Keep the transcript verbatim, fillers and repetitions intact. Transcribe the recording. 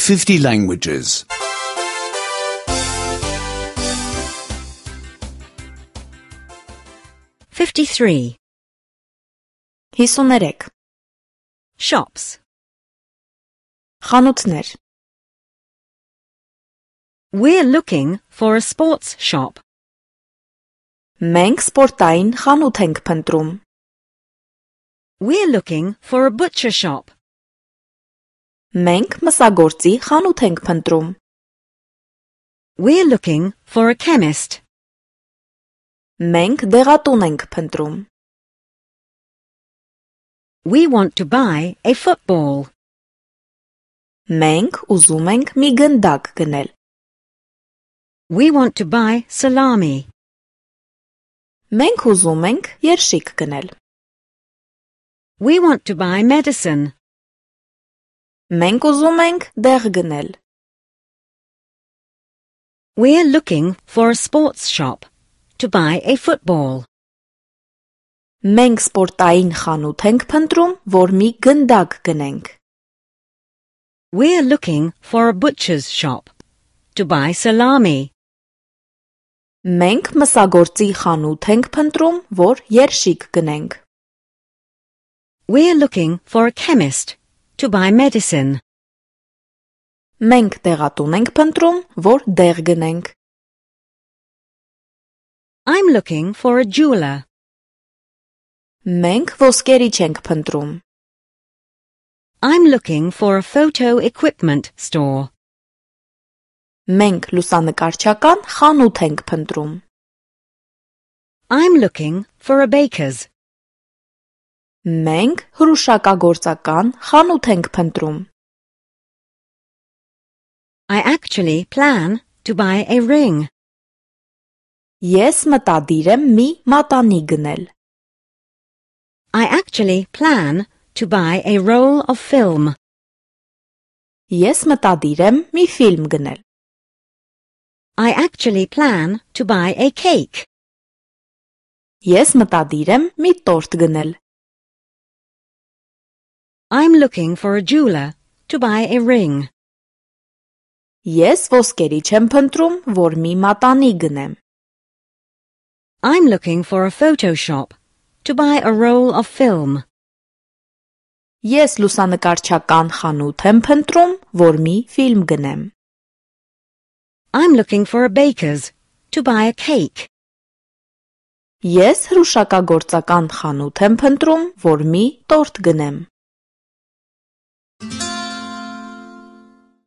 fifty languages. fifty-three. հիսուներեք. Shops. Խանութներ. We're looking for a sports shop. Մենք սպորտային խանութ ենք փնտրում. We're looking for a butcher shop. Մենք մսագործի խանութ ենք փնտրում. We're looking for a chemist. Մենք դեղատուն ենք փնտրում. We want to buy a football. Մենք ուզում ենք մի գնդակ գնել. We want to buy salami. Մենք ուզում ենք երշիկ գնել. We want to buy medicine. Մենք ուզում ենք դեղ գնել. We're looking for a sports shop to buy a football. Մենք սպորտային խանութ ենք փնտրում, որ մի գնդակ գնենք. We're looking for a butcher's shop to buy salami. Մենք մսագործի խանութ ենք փնտրում, որ երշիկ գնենք. We're looking for a chemist to buy medicine. Մենք դեղատուն ենք փնտրում, որ դեղ գնենք. I'm looking for a jeweler. Մենք ոսկերիչ ենք փնտրում. I'm looking for a photo equipment store. Մենք լուսանկարչական խանութ ենք փնտրում. I'm looking for a baker's. Մենք հրուշակագործական խանութ ենք փնտրում. I actually plan to buy a ring. Ես մտադիր եմ մի մատանի գնել. I actually plan to buy a roll of film. Ես մտադիր եմ մի ֆիլմ գնել. I actually plan to buy a cake. Ես մտադիր եմ մի տորտ գնել. I'm looking for a jeweler to buy a ring. Ես ոսկերիչ եմ փնտրում, որ մի մատանի գնեմ. I'm looking for a photo shop to buy a roll of film. Ես լուսանկարչական խանութ եմ փնտրում, որ մի ֆիլմ գնեմ. I'm looking for a baker's to buy a cake. Ես հրուշակագործական խանութ եմ փնտրում, որ մի տորտ գնեմ.